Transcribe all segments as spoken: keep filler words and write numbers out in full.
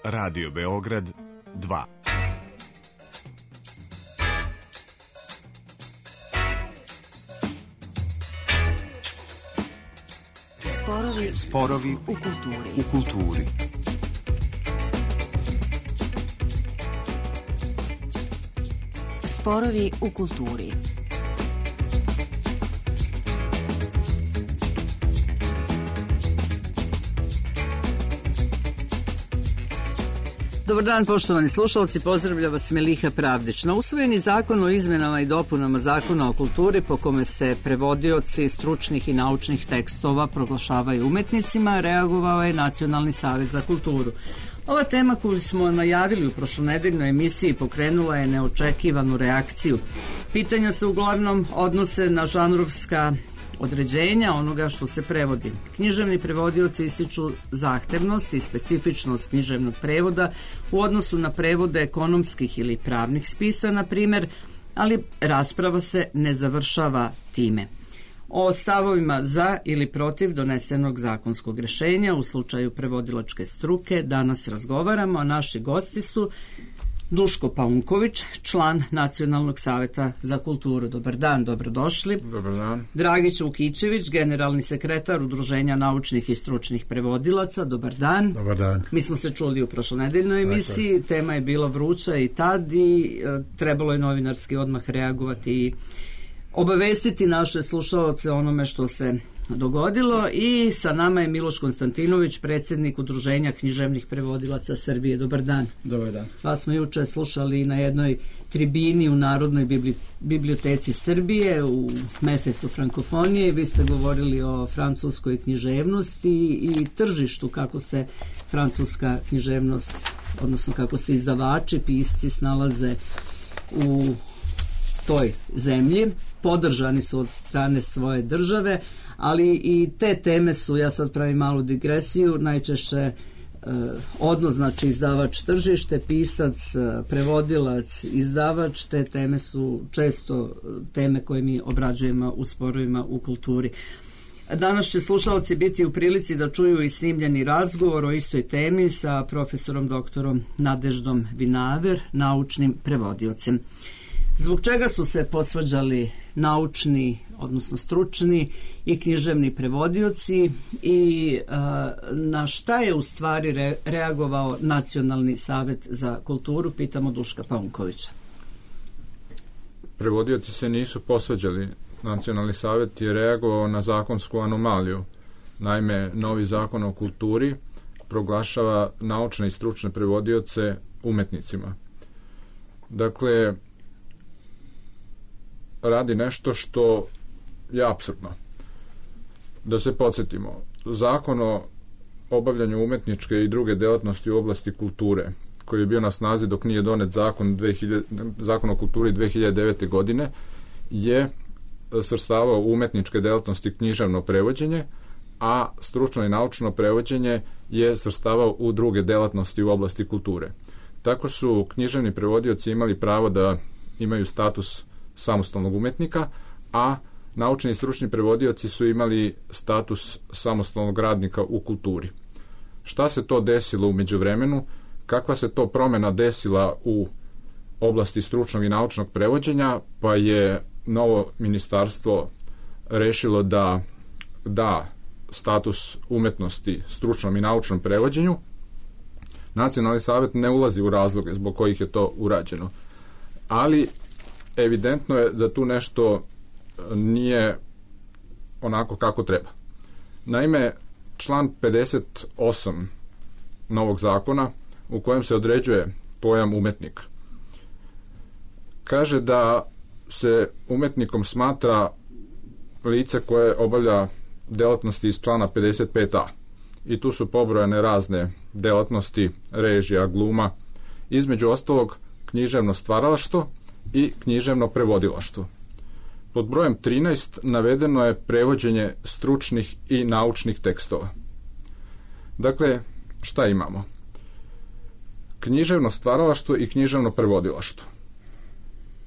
Radio Beograd dva. Sporovi, Sporovi u kulturi. U kulturi. Sporovi u kulturi. Dobar dan, poštovani slušalci, pozdravlja vas Meliha Pravdić. Na usvojeni zakon o izmenama i dopunama Zakona o kulturi, po kome se prevodioci stručnih i naučnih tekstova proglašavaju umetnicima, reagovao je Nacionalni savet za kulturu. Ova tema koju smo najavili u prošlonedeljnoj emisiji pokrenula je neočekivanu reakciju. Pitanja se uglavnom odnose na žanrovska određenja onoga što se prevodi. Književni prevodioci ističu zahtevnost i specifičnost književnog prevoda u odnosu na prevode ekonomskih ili pravnih spisa, na primjer, ali rasprava se ne završava time. O stavovima za ili protiv donesenog zakonskog rješenja u slučaju prevodilačke struke danas razgovaramo, a naši gosti su Duško Paunković, član Nacionalnog saveta za kulturu. Dobar dan, dobrodošli. Dobar dan. Dragić Vukićević, generalni sekretar Udruženja naučnih i stručnih prevodilaca. Dobar dan. Dobar dan. Mi smo se čuli u prošlonedeljnoj emisiji, dakle, tema je bila vruća i tad i e, trebalo je novinarski odmah reagovati i obavestiti naše slušaoce onome što se dogodilo. I sa nama je Miloš Konstantinović, predsjednik Udruženja književnih prevodilaca Srbije. Dobar dan. Dobar dan. Pa smo juče slušali na jednoj tribini u Narodnoj biblioteci Srbije u mesecu frankofonije. Vi ste govorili o francuskoj književnosti i tržištu, kako se francuska književnost, odnosno kako se izdavači, pisci snalaze u toj zemlji. Podržani su od strane svoje države, ali i te teme su, ja sad pravim malu digresiju, najčešće eh, odnos, znači izdavač tržište, pisac, prevodilac, izdavač, te teme su često teme koje mi obrađujemo u sporovima u kulturi. Danas će slušalci biti u prilici da čuju i snimljeni razgovor o istoj temi sa profesorom doktorom Nadeždom Vinaver, naučnim prevodiocem. Zbog čega su se posvađali naučni, odnosno stručni i književni prevodioci i a, na šta je u stvari re, reagovao Nacionalni savet za kulturu? Pitamo Duška Paunkovića. Prevodioci se nisu posvađali. Nacionalni savet je reagovao na zakonsku anomaliju. Naime, novi zakon o kulturi proglašava naučne i stručne prevodioce umetnicima. Dakle, radi nešto što je apsurdno. Da se podsjetimo, zakon o obavljanju umetničke i druge delatnosti u oblasti kulture, koji je bio na snazi dok nije donet zakon, dve hiljade, zakon o kulturi dve hiljade devete. godine, je svrstavao umetničke delatnosti književno prevođenje, a stručno i naučno prevođenje je svrstavao u druge delatnosti u oblasti kulture. Tako su književni prevodioci imali pravo da imaju status samostalnog umetnika, a naučni i stručni prevodioci su imali status samostalnog radnika u kulturi. Šta se to desilo u međuvremenu? Kakva se to promjena desila u oblasti stručnog i naučnog prevođenja? Pa je novo ministarstvo rešilo da da status umetnosti stručnom i naučnom prevođenju. Nacionalni savet ne ulazi u razloge zbog kojih je to urađeno, ali evidentno je da tu nešto nije onako kako treba. Naime, član pedeset osam novog zakona, u kojem se određuje pojam umetnika, kaže da se umetnikom smatra lice koje obavlja delatnosti iz člana pedeset pet a. I tu su pobrojane razne delatnosti, režija, gluma, između ostalog književno stvaralaštvo i književno prevodilaštvo. Pod brojem trinaest navedeno je prevođenje stručnih i naučnih tekstova. Dakle, šta imamo? Književno stvaralaštvo i književno prevodilaštvo.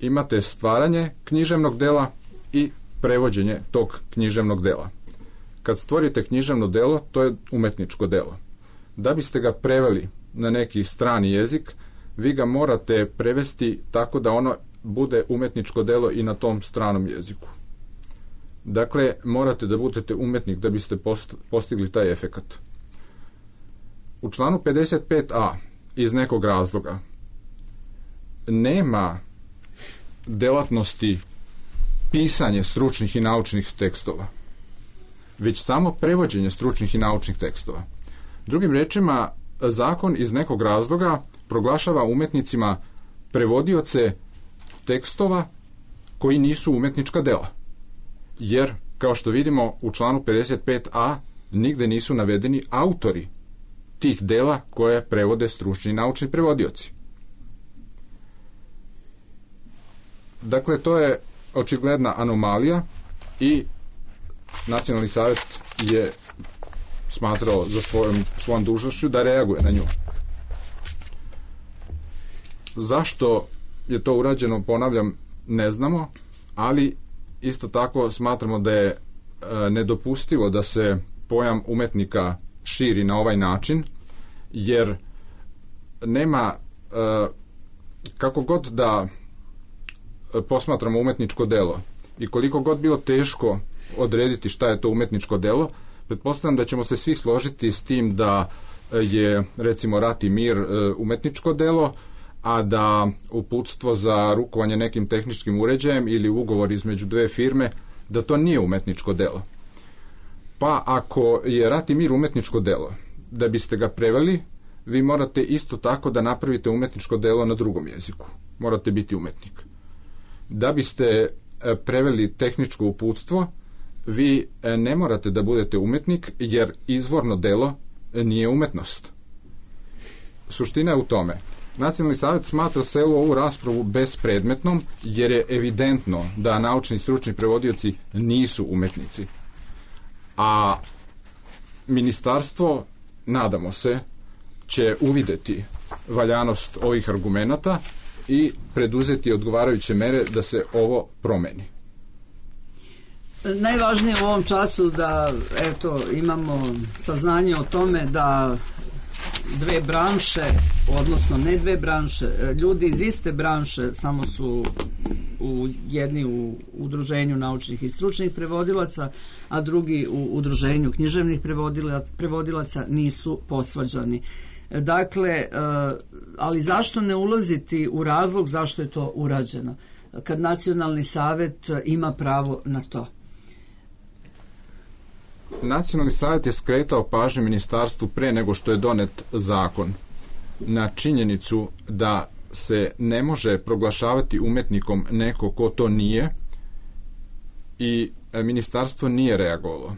Imate stvaranje književnog dela i prevođenje tog književnog dela. Kad stvorite književno delo, to je umetničko delo. Da biste ga preveli na neki strani jezik, vi ga morate prevesti tako da ono bude umetničko delo i na tom stranom jeziku. Dakle, morate da budete umetnik da biste postigli taj efekat. U članu pedeset pet a iz nekog razloga nema delatnosti pisanje stručnih i naučnih tekstova, već samo prevođenje stručnih i naučnih tekstova. Drugim rečima, zakon iz nekog razloga proglašava umetnicima prevodioce tekstova koji nisu umetnička dela. Jer, kao što vidimo u članu pedeset pet a, nigde nisu navedeni autori tih dela koje prevode stručni i naučni prevodioci. Dakle, to je očigledna anomalija i Nacionalni savjet je smatrao za svojom, svojom dužnošću da reaguje na nju. Zašto je to urađeno, ponavljam, ne znamo, ali isto tako smatramo da je e, nedopustivo da se pojam umetnika širi na ovaj način, jer nema, e, kako god da posmatramo umetničko delo i koliko god bilo teško odrediti šta je to umetničko delo, pretpostavljam da ćemo se svi složiti s tim da je, recimo, Rat i mir umetničko delo, a da uputstvo za rukovanje nekim tehničkim uređajem ili ugovor između dve firme, da to nije umetničko delo. Pa ako je Rat i mir umetničko delo, da biste ga preveli, vi morate isto tako da napravite umetničko delo na drugom jeziku. Morate biti umetnik. Da biste preveli tehničko uputstvo, vi ne morate da budete umetnik, jer izvorno delo nije umetnost. Suština je u tome. Nacionalni savjet smatra celu ovu raspravu bespredmetnom, jer je evidentno da naučni i stručni prevodioci nisu umetnici. A ministarstvo, nadamo se, će uvideti valjanost ovih argumenata i preduzeti odgovarajuće mere da se ovo promeni. Najvažnije u ovom času da eto, imamo saznanje o tome da dve branše, odnosno ne dve branše, ljudi iz iste branše, samo su u jedni u udruženju naučnih i stručnih prevodilaca, a drugi u udruženju književnih prevodilaca, prevodilaca nisu posvađani. Dakle, ali zašto ne ulaziti u razlog zašto je to urađeno, kad Nacionalni savjet ima pravo na to? Nacionalni savjet je skretao pažnju ministarstvu pre nego što je donet zakon na činjenicu da se ne može proglašavati umetnikom neko ko to nije, i ministarstvo nije reagovalo.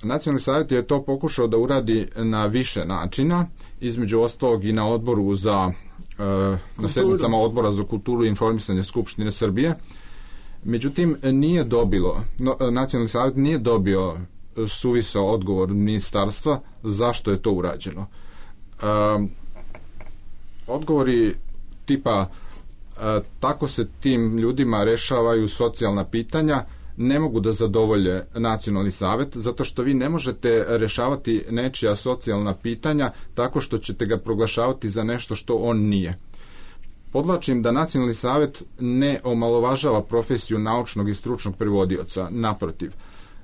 Nacionalni savjet je to pokušao da uradi na više načina, između ostalog i na odboru za na sednicama odbora za kulturu i informisanje Skupštine Srbije. Međutim, nije dobilo, no, Nacionalni savjet nije dobio suvisao odgovor ministarstva zašto je to urađeno. Um, odgovori tipa uh, tako se tim ljudima rešavaju socijalna pitanja ne mogu da zadovolje Nacionalni savjet, zato što vi ne možete rešavati nečija socijalna pitanja tako što ćete ga proglašavati za nešto što on nije. Podlačim da Nacionalni savjet ne omalovažava profesiju naučnog i stručnog prevodioca, naprotiv.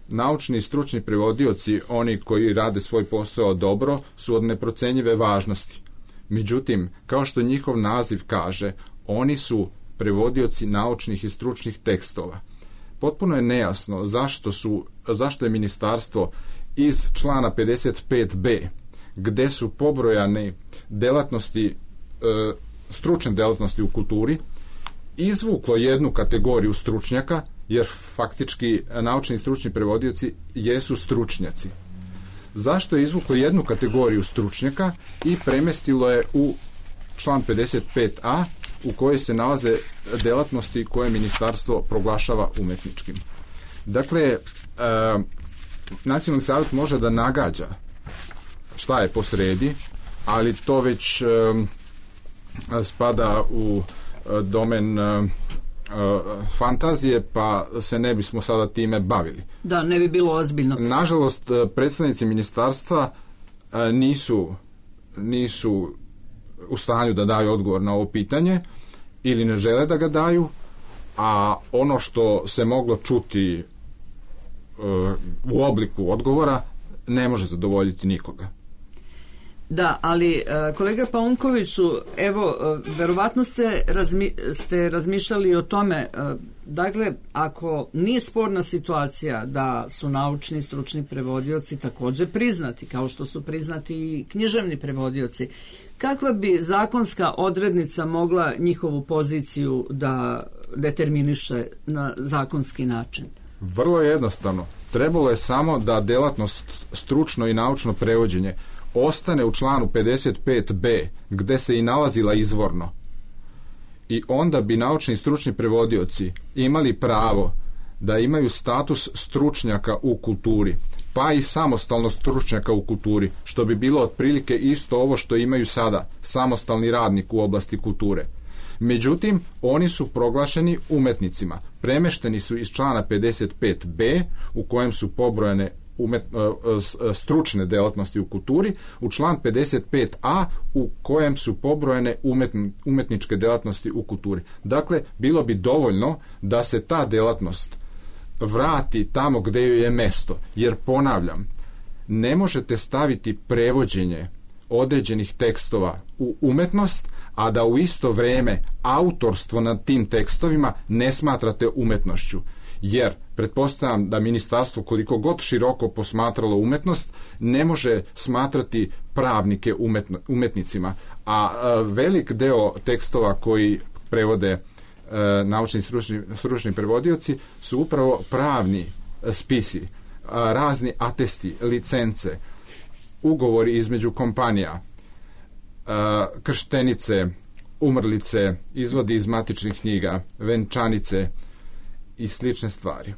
Naučni i stručni prevodioci, oni koji rade svoj posao dobro, su od neprocenjive važnosti. Međutim, kao što njihov naziv kaže, oni su prevodioci naučnih i stručnih tekstova. Potpuno je nejasno zašto, su, zašto je ministarstvo iz člana pedeset pet be, gde su pobrojane delatnosti, e, stručne delatnosti u kulturi, izvuklo jednu kategoriju stručnjaka, jer faktički naučni i stručni prevodioci jesu stručnjaci. Zašto je izvuklo jednu kategoriju stručnjaka i premestilo je u član pedeset pet a, u kojoj se nalaze delatnosti koje ministarstvo proglašava umetničkim. Dakle, e, Nacionalni savjet može da nagađa šta je posredi, ali to već e, spada u e, domen e, fantazije, pa se ne bismo sada time bavili. Da, ne bi bilo ozbiljno. Nažalost, predstavnici ministarstva nisu nisu u stanju da daju odgovor na ovo pitanje ili ne žele da ga daju, a ono što se moglo čuti u obliku odgovora ne može zadovoljiti nikoga. Da, ali kolega Paunkoviću, evo, verovatno ste, razmi, ste razmišljali o tome, dakle, ako nije sporna situacija da su naučni stručni prevodioci također priznati, kao što su priznati i književni prevodioci, kakva bi zakonska odrednica mogla njihovu poziciju da determiniše na zakonski način? Vrlo jednostavno. Trebalo je samo da delatnost stručno i naučno prevođenje ostane u članu pedeset pet be, gde se i nalazila izvorno. I onda bi naučni i stručni prevodioci imali pravo da imaju status stručnjaka u kulturi, pa i samostalno stručnjaka u kulturi, što bi bilo otprilike isto ovo što imaju sada, samostalni radnik u oblasti kulture. Međutim, oni su proglašeni umetnicima. Premešteni su iz člana pedeset pet be, u kojem su pobrojane umet, stručne delatnosti u kulturi, u član pedeset pet a, u kojem su pobrojene umetn, umetničke delatnosti u kulturi. Dakle, bilo bi dovoljno da se ta delatnost vrati tamo gde joj je mesto. Jer, ponavljam, ne možete staviti prevođenje određenih tekstova u umetnost, a da u isto vreme autorstvo nad tim tekstovima ne smatrate umetnošću. Jer, pretpostavljam da ministarstvo, koliko god široko posmatralo umetnost, ne može smatrati pravnike umetno, umetnicima. A, a velik deo tekstova koji prevode e, naučni i stručni, stručni prevodioci su upravo pravni spisi, a, razni atesti, licence, ugovori između kompanija, a, krštenice, umrlice, izvodi iz matičnih knjiga, venčanice i slične stvari.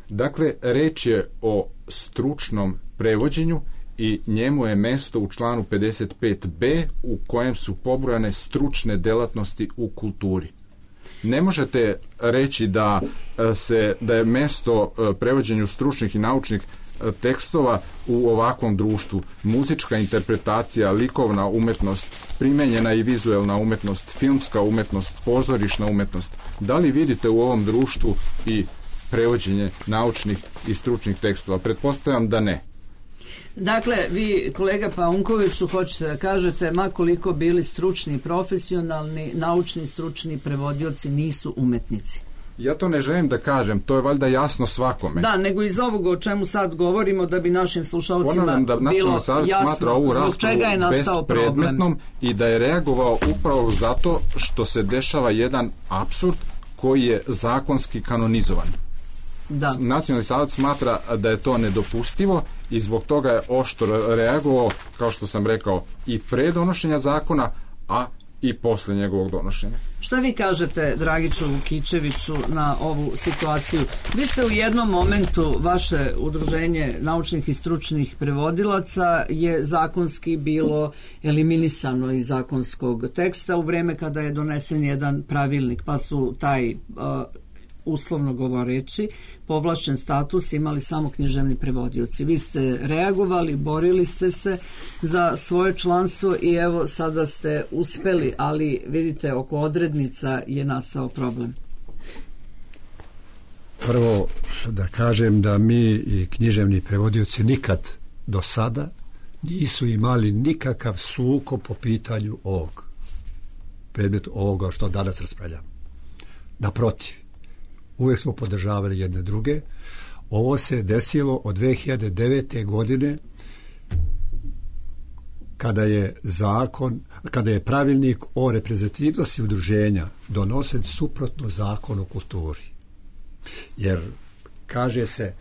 Dakle, reč je o stručnom prevođenju i njemu je mesto u članu pedeset pet be, u kojem su pobrojane stručne delatnosti u kulturi. Ne možete reći da se da je mesto prevođenju stručnih i naučnih tekstova u ovakvom društvu. Muzička interpretacija, likovna umetnost, primenjena i vizuelna umetnost, filmska umetnost, pozorišna umetnost. Da li vidite u ovom društvu i prevođenje naučnih i stručnih tekstova? Pretpostavljam da ne. Dakle, vi, kolega Paunkoviću, hoćete da kažete, ma koliko bili stručni, profesionalni, naučni, stručni prevodioci nisu umetnici. Ja to ne želim da kažem, to je valjda jasno svakome. Da, nego iz ovoga o čemu sad govorimo, da bi našim slušalcima da bilo jasno ovu zbog čega je nastao problem. I da je reagovao upravo zato što se dešava jedan apsurd koji je zakonski kanonizovan. Da. Nacionalni savet smatra da je to nedopustivo i zbog toga je oštro reagovao, kao što sam rekao, i pre donošenja zakona, a i posle njegovog donošenja. Šta vi kažete, Dragiću Vukičeviću, na ovu situaciju? Vi ste u jednom momentu, vaše udruženje naučnih i stručnih prevodilaca je zakonski bilo eliminisano iz zakonskog teksta u vreme kada je donesen jedan pravilnik, pa su taj uh, uslovno govoreći povlašćen status imali samo književni prevodioci. Vi ste reagovali, borili ste se za svoje članstvo i evo sada ste uspeli, ali vidite, oko odrednica je nastao problem. Prvo da kažem da mi i književni prevodioci nikad do sada nisu imali nikakav sukob po pitanju ovog predmeta, ovoga što danas raspravljamo. Naprotiv, uvijek smo podržavali jedne druge. Ovo se desilo od dve hiljade devete. godine kada je zakon, kada je pravilnik o reprezentativnosti udruženja donosen suprotno zakonu o kulturi. Jer kaže se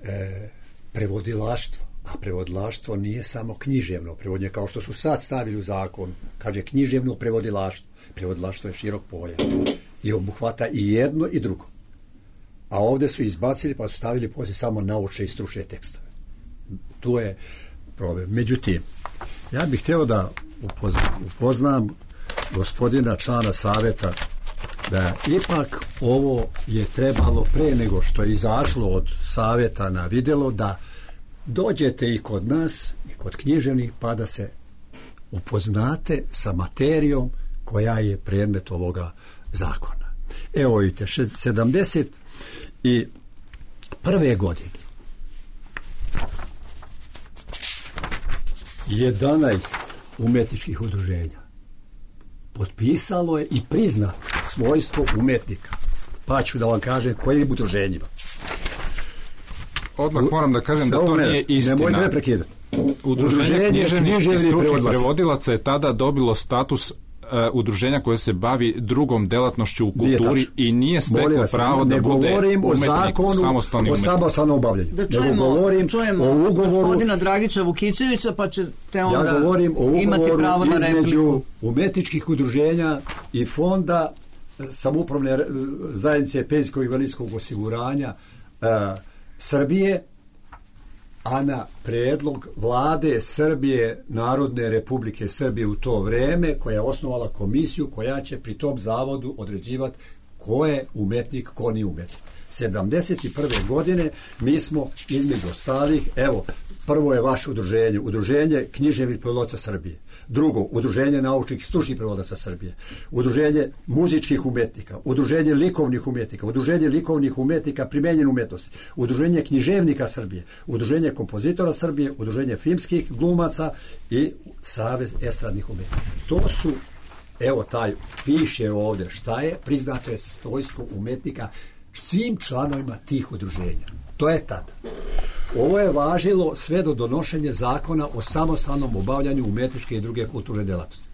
e, prevodilaštvo, a prevodilaštvo nije samo književno prevodnje, kao što su sad stavili u zakon. Kaže književno prevodilaštvo. Prevodilaštvo je širok pojam i obuhvata i jedno i drugo. A ovdje su izbacili pa su stavili poslije samo naučne i stručne tekstove. Tu je problem. Međutim, ja bih htio da upoznam, upoznam gospodina člana savjeta da ipak ovo je trebalo pre nego što je izašlo od savjeta na vidjelo, da dođete i kod nas i kod književnih pa da se upoznate sa materijom koja je predmet ovoga zakona. Evo vidite, sedamdeset prve godine jedanaest umetničkih udruženja potpisalo je i priznalo svojstvo umetnika. Pa ću da vam kažem kojim udruženjima. Odmah moram da kažem da to nije istina. Nemojte me prekidati. Udruženje književnih i stručnih prevodilaca je tada dobilo status uh, udruženja koje se bavi drugom delatnošću u kulturi i nije steklo pravo da bude umetnik, samostalni umetnik. O samostalnom obavljanju. Da čujemo, čujemo o ugovoru, gospodina Dragića Vukičevića, pa ćete onda ja govorim o imati pravo na repliku. Između umetničkih udruženja i fonda samoupravne zajednice penzijskog i invalidskog osiguranja uh, Srbije, a na predlog vlade Srbije, Narodne republike Srbije u to vreme, koja je osnovala komisiju koja će pri tom zavodu određivati ko je umetnik, ko nije umetnik. sedamdeset prve godine mi smo između ostalih, evo, prvo je vaše udruženje, udruženje književnih prevodilaca Srbije. Drugo, udruženje naučnih i stručnih prevodilaca Srbije. Udruženje muzičkih umetnika, udruženje likovnih umetnika, udruženje likovnih umetnika primenjene umetnosti, udruženje književnika Srbije, udruženje kompozitora Srbije, udruženje filmskih glumaca i Savez estradnih umetnika. To su, evo taj, piše ovdje šta je, priznato je svojstvo umetnika svim članovima tih udruženja. To je tada. Ovo je važilo sve do donošenja zakona o samostalnom obavljanju umetničke i druge kulturne delatnosti,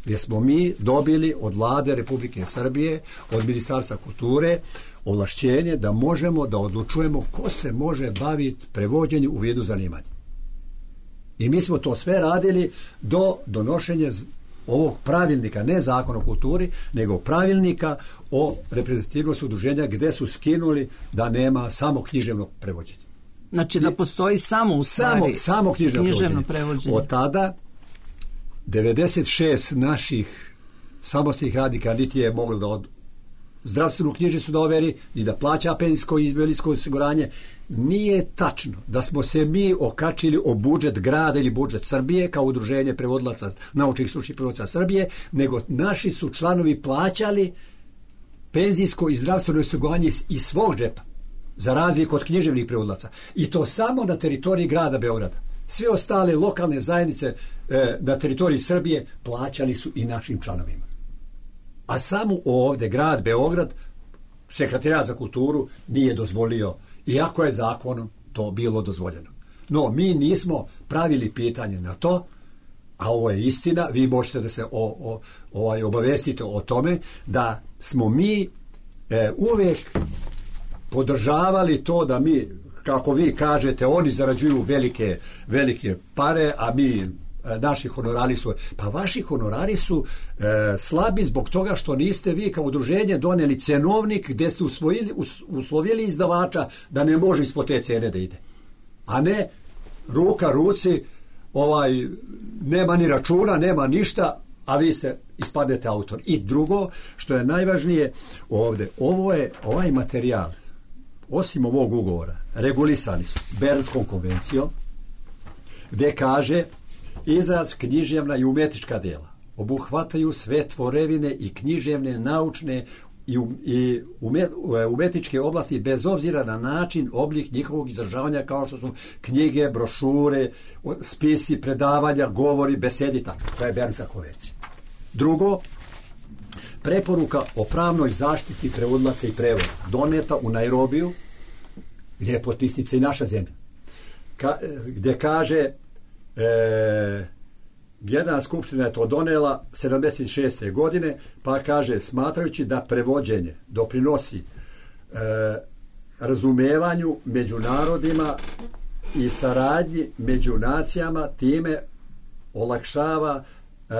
gdje smo mi dobili od vlade Republike Srbije, od Ministarstva kulture, ovlašćenje da možemo da odlučujemo ko se može baviti prevođenjem u vidu zanimanja. I mi smo to sve radili do donošenja ovog pravilnika, ne zakon o kulturi, nego pravilnika o reprezentativnosti udruženja, gdje su skinuli da nema samo književnog prevođenja. Znači da postoji samo u stvari samo, samo književno, književno prevođenje. prevođenje. Od tada devedeset šest naših samostalnih radnika niti je moglo da od zdravstvenu knjižicu da overi, ni da plaća penzijsko i invalidsko osiguranje. Nije tačno da smo se mi okačili o budžet grada ili budžet Srbije kao udruženje prevodilaca, naučnih stručnih prevodilaca Srbije, nego naši su članovi plaćali penzijsko i zdravstveno osiguranje iz svog džepa, za razliku od književnih prevodilaca. I to samo na teritoriji grada Beograda. Sve ostale lokalne zajednice e, na teritoriji Srbije plaćali su i našim članovima. A samo ovdje grad Beograd, Sekretarijat za kulturu, nije dozvolio, iako je zakonom to bilo dozvoljeno. No, mi nismo pravili pitanje na to, a ovo je istina, vi možete da se o, o, ovaj, obavestite o tome, da smo mi e, uvijek podržavali to da mi, kako vi kažete, oni zarađuju velike, velike pare, a mi, naši honorari su, pa vaši honorari su e, slabi zbog toga što niste vi kao udruženje doneli cenovnik gdje ste usvojili, us, uslovili izdavača da ne može ispod te cene da ide. A ne ruka ruci, ovaj, nema ni računa, nema ništa, a vi ste ispadnete autor. I drugo, što je najvažnije ovdje, ovo je, ovaj materijal, osim ovog ugovora, regulisani su Bernskom konvencijom, gdje kaže izraz književna i umetnička dela obuhvataju sve tvorevine i književne, naučne i, um, i umet, umetničke oblasti bez obzira na način, oblik njihovog izražavanja, kao što su knjige, brošure, spisi, predavanja, govori, besedi, tako. To je Bernska konvencija. Drugo, preporuka o pravnoj zaštiti prevodilaca i prevoda, doneta u Nairobiju, gdje je potpisnica i naša zemlja, Ka, gdje kaže e, Generalna skupština je to donela sedamdeset šeste godine, pa kaže, smatrajući da prevođenje doprinosi e, razumevanju među narodima i saradnji među nacijama, time olakšava e,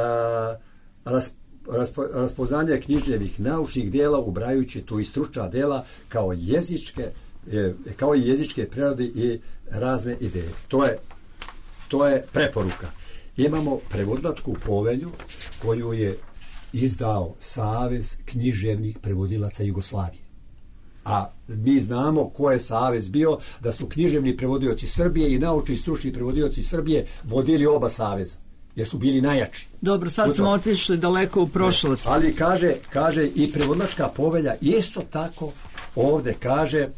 ras, raspo, raspoznanje književnih naučnih dela, ubrajući tu i stručna dela kao jezičke, e, kao i jezičke prerode i razne ideje. To je, to je preporuka. Imamo prevodilačku povelju koju je izdao Savez književnih prevodilaca Jugoslavije. A mi znamo ko je savez bio, da su književni prevodioci Srbije i naučni i stručni prevodioci Srbije vodili oba saveza. jer su bili najjači. Dobro, sad smo otišli daleko u prošlost. Ali kaže, kaže i prevodilačka povelja isto tako ovdje kaže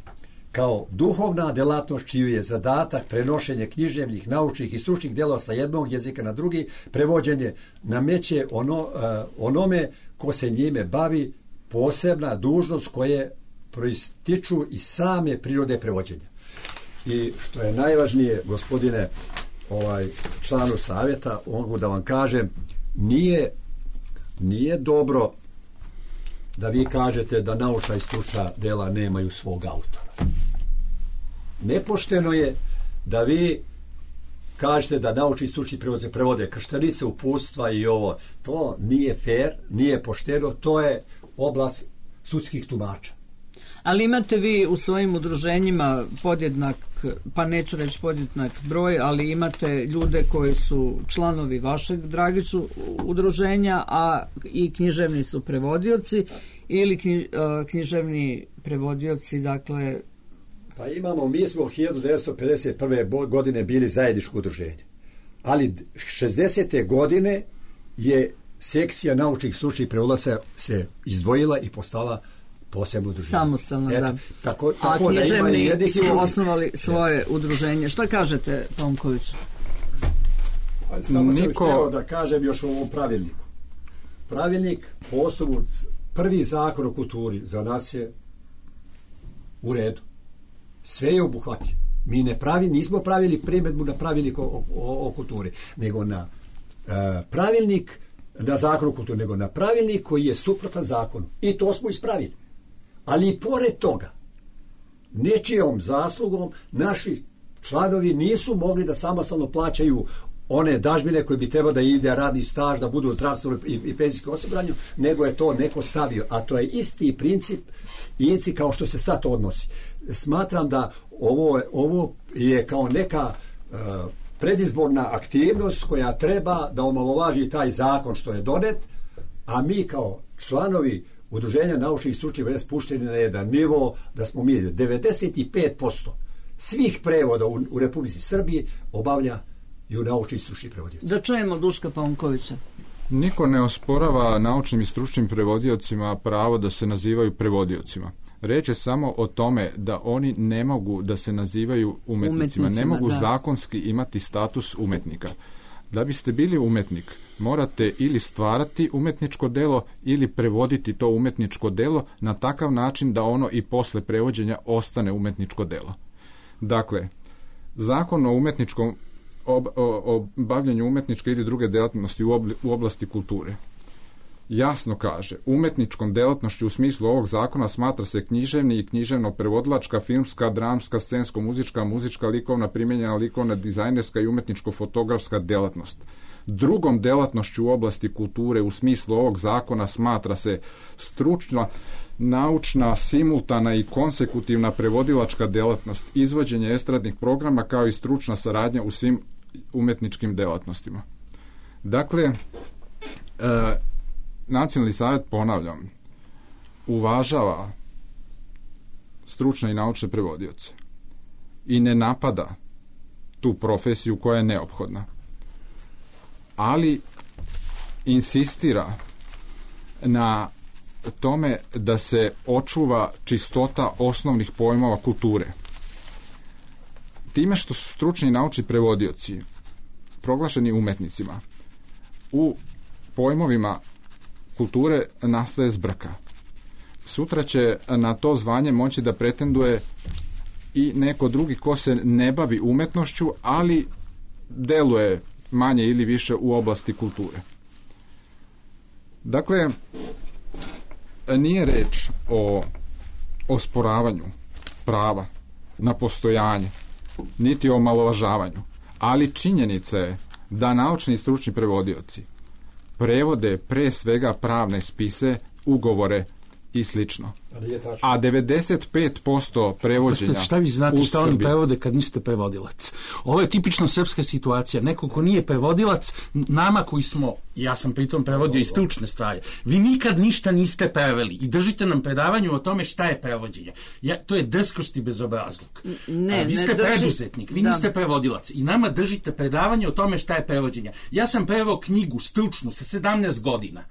kao duhovna delatnost čiju je zadatak prenošenje književnih, naučnih i stručnih djela sa jednog jezika na drugi, prevođenje nameće ono, uh, onome ko se njime bavi posebna dužnost koje proističu iz same prirode prevođenja. I što je najvažnije, gospodine ovaj članu savjeta, mogu da vam kažem, nije, nije dobro da vi kažete da naučna i stručna dela nemaju svog autora. Nepošteno je da vi kažete da naučni i stručni prevodze prevode krštenice, uputstva i ovo. To nije fair, nije pošteno, to je oblast sudskih tumača. Ali imate vi u svojim udruženjima podjednak, pa neću reći podjednak broj, ali imate ljude koji su članovi vašeg, Dragiću, udruženja, a i književni su prevodioci ili književni prevodioci, dakle... Pa imamo, mi smo hiljadu devetsto pedeset prve godine bili zajedničko udruženje, ali šezdesete godine je sekcija naučnih stručnih prevodilaca se izdvojila i postala posebno udruženje. Samostalno, da. Tako, tako a književni da su osnovali svoje udruženje. Šta kažete, Tomković? Samo sam Niko... htio da kažem još o ovom pravilniku. Pravilnik po osnovu, prvi zakon o kulturi za nas je u redu. Sve je obuhvatio. Mi ne pravi, nismo pravili primjedbu na pravilnik o, o, o kulturi, nego na uh, pravilnik na zakon o kulturi, nego na pravilnik koji je suprotan zakonu. I to smo ispravili. Ali i pored toga, nečijom zaslugom, naši članovi nisu mogli da samostalno plaćaju one dažbine koje bi trebalo da ide radni staž, da budu u zdravstvenom i, i penzijskom osiguranju, nego je to neko stavio. A to je isti princip isti kao što se sad odnosi. Smatram da ovo, ovo je kao neka uh, predizborna aktivnost koja treba da omalovaži taj zakon što je donet, a mi kao članovi udruženja naučnih i stručnih već spušteni na jedan nivo, da smo mi devedeset pet posto svih prevoda u, u Republici Srbiji obavlja i u naučni i stručni prevodioci. Da čujemo Duška Paunkovića. Niko ne osporava naučnim i stručnim prevodiocima pravo da se nazivaju prevodiocima. Reč je samo o tome da oni ne mogu da se nazivaju umetnicima, umetnicima ne mogu da. zakonski imati status umetnika. Da biste bili umetnik, morate ili stvarati umetničko delo ili prevoditi to umetničko delo na takav način da ono i posle prevođenja ostane umetničko delo. Dakle, zakon o umetničkom ob, o, o bavljanju umetničke ili druge delatnosti u, obli, u oblasti kulture jasno kaže, umetničkom delatnošću u smislu ovog zakona smatra se književni i književno-prevodilačka, filmska, dramska, scensko-muzička, muzička, likovna, primjenjena, likovna, dizajnerska i umetničko-fotografska delatnost. Drugom delatnošću u oblasti kulture u smislu ovog zakona smatra se stručna, naučna, simultana i konsekutivna prevodilačka delatnost, izvođenje estradnih programa kao i stručna saradnja u svim umetničkim delatnostima. Dakle, e, Nacionalni savjet, ponavljam, uvažava stručne i naučne prevodioce i ne napada tu profesiju koja je neophodna, ali insistira na tome da se očuva čistota osnovnih pojmova kulture. Time što su stručni i naučni prevodioci proglašeni umetnicima, u pojmovima kulture nastaje zbrka. Sutra će na to zvanje moći da pretenduje i neko drugi ko se ne bavi umetnošću, ali deluje manje ili više u oblasti kulture. Dakle, nije reč o osporavanju prava na postojanje, niti o omalovažavanju, ali činjenica je da naučni i stručni prevodioci prevode pre svega pravne spise, ugovore i slično. Ali a devedeset pet posto prevođenja šta vi znate šta oni Srbiji... prevode kad niste prevodilac? Ovo je tipično srpska situacija. Neko ko nije prevodilac, nama koji smo, ja sam pritom prevodio i stručne stvari, vi nikad ništa niste preveli i držite nam predavanje o tome šta je prevođenje. Ja, to je drskost i bezobrazluk. Ne, a, vi ste ne drži... preduzetnik, vi da. niste prevodilac i nama držite predavanje o tome šta je prevođenje. Ja sam preveo knjigu stručnu sa sedamnaest godina.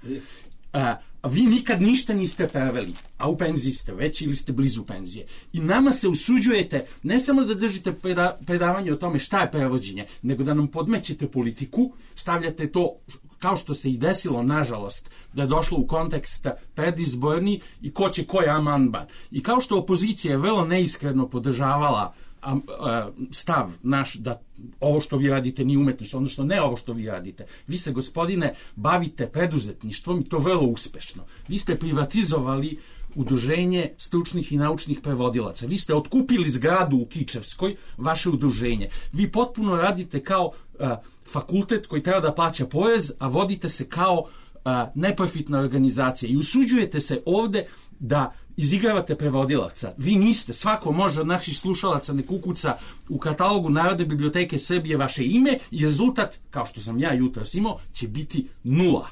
A, a vi nikad ništa niste preveli, a u penziji ste već ili ste blizu penzije. I nama se usuđujete ne samo da držite preda, predavanje o tome šta je prevođenje, nego da nam podmećete politiku, stavljate to, kao što se i desilo, nažalost, da je došlo u kontekst predizborni i ko će koji amandman. I kao što opozicija je vrlo neiskreno podržavala a, a, stav naš da ovo što vi radite nije umetnost, odnosno ne ovo što vi radite. Vi se, gospodine, bavite preduzetništvom i to vrlo uspešno. Vi ste privatizovali udruženje stručnih i naučnih prevodilaca. Vi ste otkupili zgradu u Kičevskoj, vaše udruženje. Vi potpuno radite kao a, fakultet koji treba da plaća porez, a vodite se kao a, neprofitna organizacija i usuđujete se ovde da izigravate prevodilaca. Vi niste, svako može od naših slušalaca ne kukuca u katalogu Narodne biblioteke Srbije vaše ime i rezultat, kao što sam ja jutros imao, će biti nula.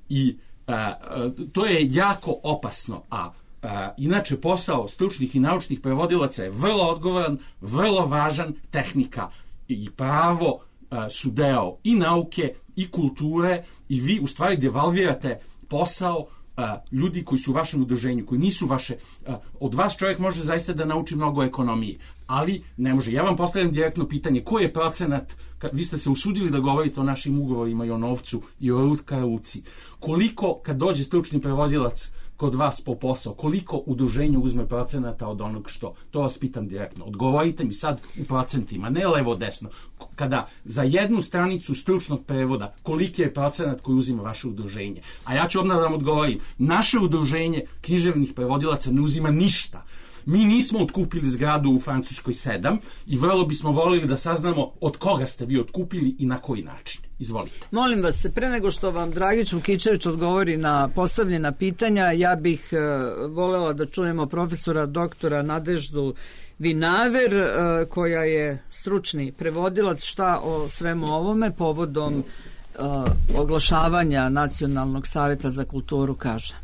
I a, a, to je jako opasno, a a, inače posao stručnih i naučnih prevodilaca je vrlo odgovoran, vrlo važan, tehnika i pravo a, su deo i nauke i kulture i vi u stvari devalvirate posao a, ljudi koji su u vašem udruženju, koji nisu vaše, a, od vas čovjek može zaista da nauči mnogo ekonomije, ali ne može. Ja vam postavljam direktno pitanje, koji je procenat, ka, vi ste se usudili da govorite o našim ugovorima i o novcu i o ruci, koliko kad dođe stručni prevodilac kod vas po posao, koliko udruženje uzme procenata od onog što? To vas pitam direktno. Odgovorite mi sad u procentima, ne levo-desno. Kada za jednu stranicu stručnog prevoda, koliki je procenat koji uzima vaše udruženje? A ja ću odmah da vam odgovorim. Naše udruženje književnih prevodilaca ne uzima ništa. Mi nismo otkupili zgradu u Francuskoj sedam i vrlo bismo volili da saznamo od koga ste vi otkupili i na koji način. Izvolite. Molim vas, pre nego što vam Dragić Lukičević odgovori na postavljena pitanja, ja bih uh, volela da čujemo profesora doktora Nadeždu Vinaver, uh, koja je stručni prevodilac, šta o svemu ovome povodom uh, oglašavanja Nacionalnog saveta za kulturu kaže.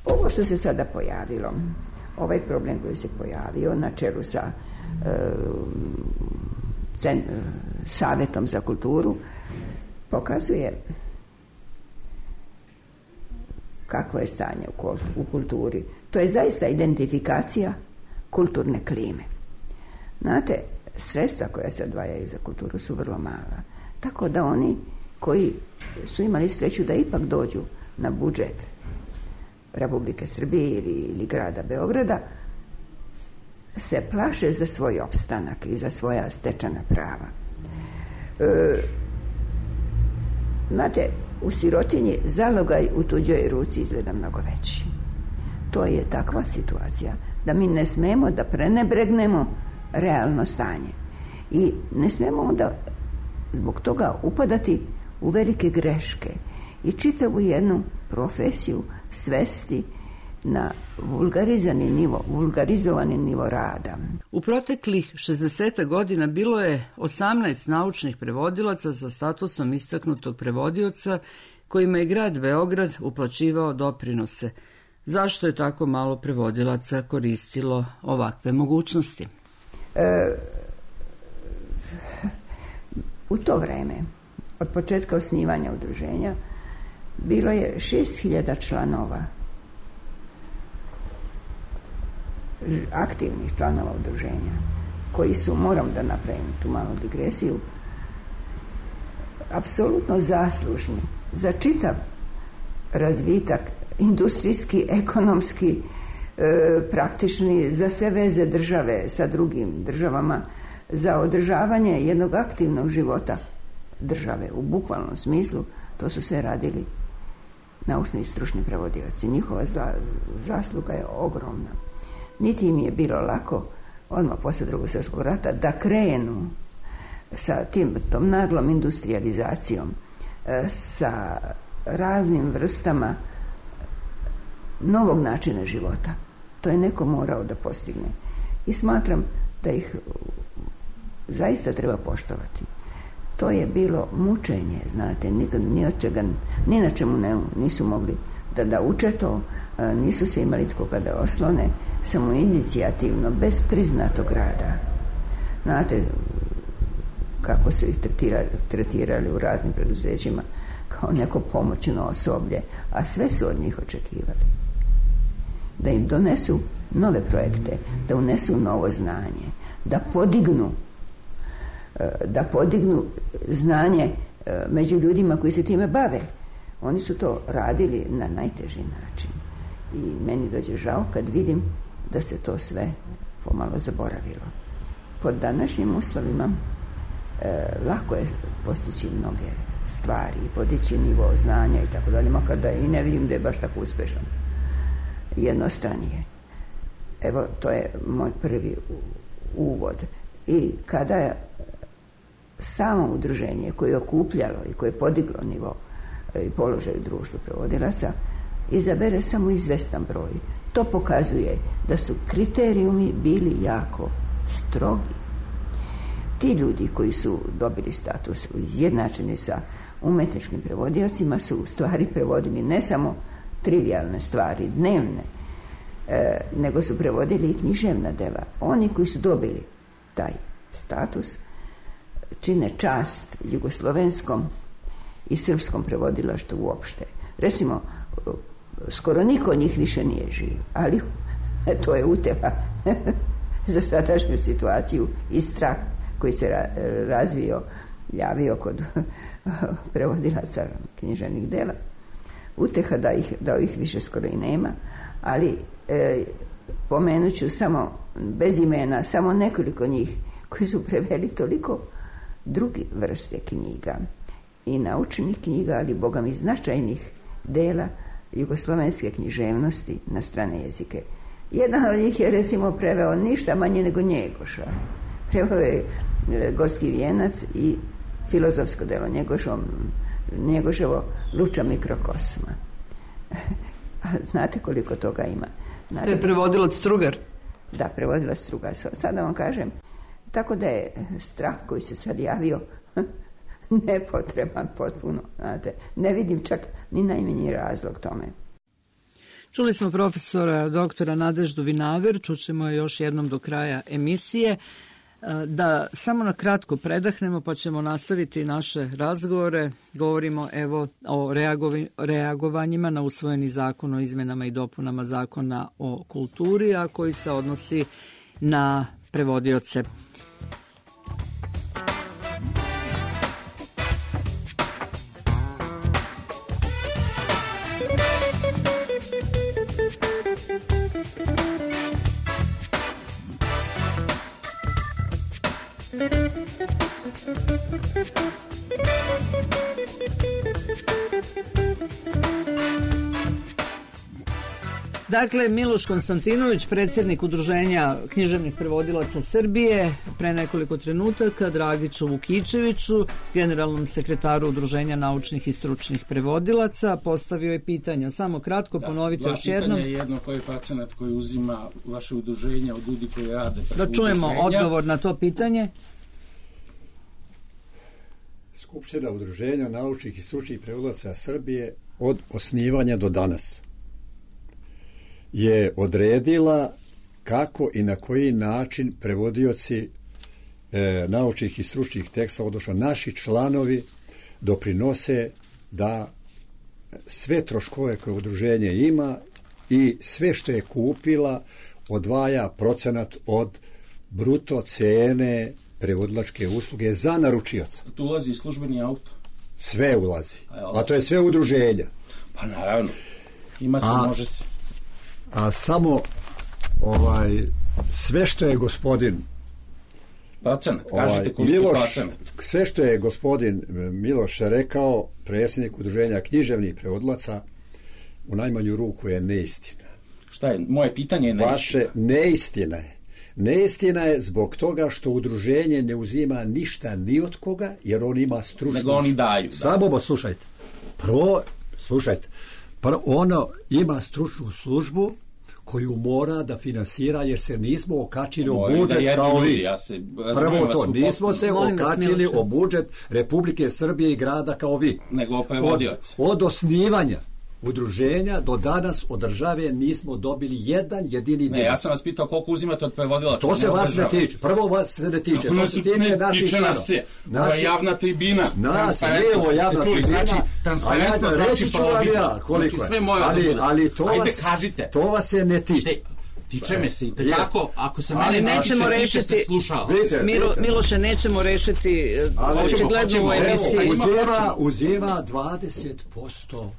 Ovo što se sada pojavilo, ovaj problem koji se pojavio na čelu sa uh, cen, uh, Savetom za kulturu, pokazuje kakvo je stanje u kulturi. To je zaista identifikacija kulturne klime. Znate, sredstva koja se odvajaju za kulturu su vrlo mala. Tako da oni koji su imali sreću da ipak dođu na budžet Republike Srbije ili, ili grada Beograda se plaše za svoj opstanak i za svoja stečena prava. E, Znate, u sirotinji zalogaj u tuđoj ruci izgleda mnogo veći. To je takva situacija da mi ne smemo da prenebregnemo realno stanje. I ne smemo onda zbog toga upadati u velike greške i čitavu jednu profesiju svesti na vulgarizani nivo, vulgarizovani nivo rada. U proteklih šezdeset godina bilo je osamnaest naučnih prevodilaca sa statusom istaknutog prevodioca kojima je grad Beograd uplaćivao doprinose. Zašto je tako malo prevodilaca koristilo ovakve mogućnosti? E, u to vreme, od početka osnivanja udruženja, bilo je šest hiljada članova, aktivnih članova udruženja, koji su, moram da napravim tu malu digresiju, apsolutno zaslužni za čitav razvitak, industrijski, ekonomski, e, praktični, za sve veze države sa drugim državama, za održavanje jednog aktivnog života države u bukvalnom smislu. To su sve radili naučni i stručni prevodioci. Njihova za, zasluga je ogromna. Niti im je bilo lako odmah posle Drugog svjetskog rata da krenu sa tim, tom naglom industrializacijom, sa raznim vrstama novog načina života. To je neko morao da postigne. I smatram da ih zaista treba poštovati. To je bilo mučenje, znate, nikad, ni od čega, ni na čemu ne, nisu mogli da, da uče to, nisu se imali tko kada oslone, samo inicijativno, bez priznatog rada. Znate, kako su ih tretirali, tretirali u raznim preduzećima kao neko pomoćno osoblje, a sve su od njih očekivali. Da im donesu nove projekte, da unesu novo znanje, da podignu da podignu znanje među ljudima koji se time bave. Oni su to radili na najteži način. I meni dođe žao kad vidim da se to sve pomalo zaboravilo. Pod današnjim uslovima e, lako je postići mnoge stvari, podići nivo znanja i tako dalje, makar da i ne vidim da je baš tako uspešan. Jednostranije. Evo, to je moj prvi uvod. I kada je samo udruženje koje je okupljalo i koje je podiglo nivo i položaj u društvu prevodilaca izabere samo izvestan broj. To pokazuje da su kriterijumi bili jako strogi. Ti ljudi koji su dobili status izjednačeni sa umetničkim prevodiocima su u stvari prevodili ne samo trivijalne stvari, dnevne, e, nego su prevodili i književna dela. Oni koji su dobili taj status čine čast jugoslovenskom i srpskom prevodilaštvu uopšte. Recimo, skoro niko od njih više nije živ, ali to je utjeha za sadašnju situaciju i strah koji se ra- razvio, javio kod prevodilaca književnih dela. Utjeha da ih, da ih više skoro i nema, ali e, pomenut ću samo bez imena, samo nekoliko njih koji su preveli toliko drugi vrste knjiga i naučnih knjiga, ali boga mi značajnih dela jugoslovenske književnosti na strane jezike. Jedan od njih je recimo preveo ništa manje nego Njegoša. Preveo je Gorski vijenac i filozofsko delo Njegošom, Njegoševo Luča mikrokosma. A znate koliko toga ima? Naravno, to je prevodilac Strugar? Da, prevodilac Strugar. Sada vam kažem, tako da je strah koji se sad javio nepotreban potpuno. Znate, ne vidim čak ni najmanji razlog tome. Čuli smo profesora doktora Nadeždu Vinaver, čućemo je još jednom do kraja emisije. Da samo na kratko predahnemo pa ćemo nastaviti naše razgovore. Govorimo evo o reagovanjima na usvojeni zakon o izmenama i dopunama zakona o kulturi, a koji se odnosi na prevodioce. Dakle, Miloš Konstantinović, predsjednik Udruženja književnih prevodilaca Srbije, pre nekoliko trenutaka Dragiću Vukičeviću, generalnom sekretaru Udruženja naučnih i stručnih prevodilaca, postavio je pitanja. Samo kratko da, ponovite još jednom. Dva pitanja, jedno koji je pacijenat koji uzima vaše udruženje od ljudi koji rade. Da čujemo udruženja. Odgovor na to pitanje. Skupština Udruženja naučnih i stručnih prevodilaca Srbije od osnivanja do danas je odredila kako i na koji način prevodioci e, naučnih i stručnih tekstova, odnosno naši članovi, doprinose da sve troškove koje udruženje ima i sve što je kupila odvaja procenat od bruto cene prevodilačke usluge za naručioca. Tu ulazi službeni auto? Sve ulazi. A to je sve udruženja. Pa naravno. Ima se, a, može se. A samo ovaj, sve što je gospodin procenat, kažete ovaj, koliko Miloš, procenat. Sve što je gospodin Miloš rekao, predsjednik Udruženja književnih prevodilaca, u najmanju ruku je neistina. Šta je? Moje pitanje je neistina. Vaše neistina je. Neistina je zbog toga što udruženje ne uzima ništa ni od koga, jer on ima stručnost. Nego oni daju. Da. Samo slušajte. Prvo, slušajte. Pa ono ima stručnu službu koju mora da finansira, jer se nismo okačili u budžet da kao vi. Ja se, Prvo to, nismo se Molim vas, okačili Miloše. o budžet Republike Srbije i grada kao vi. Nego Od, prevodioc. od osnivanja udruženja do danas od države nismo dobili jedan jedini Ne, dinar. ja sam vas pitao koliko uzimate od prevodilaca. To se ne od vas ne države. tiče. Prvo vas se ne tiče. Kako To nas se tiče ne naših tiče članova. nas se. Ovo je Naši- javna tribina. Nas, Transparentnost, nije ovo javna ste čuli, tribina, znači, a transparentno ja, znači reći ću vam probitno. ja koliko Znači, sve je. moje da Ali, bude. ali to, Ajde, vas, kažite. to vas se ne tiče. Te, tiče me se i Jest. tako, ako se Ali mene nećemo tiče, rešiti- tiče se slušao. Vidite, Milo, vidite. Miloše, nećemo rešiti e, Ali- očigledno Hoćemo, u hoćemo. emisiji. Evo, uzima, uzima dvadeset posto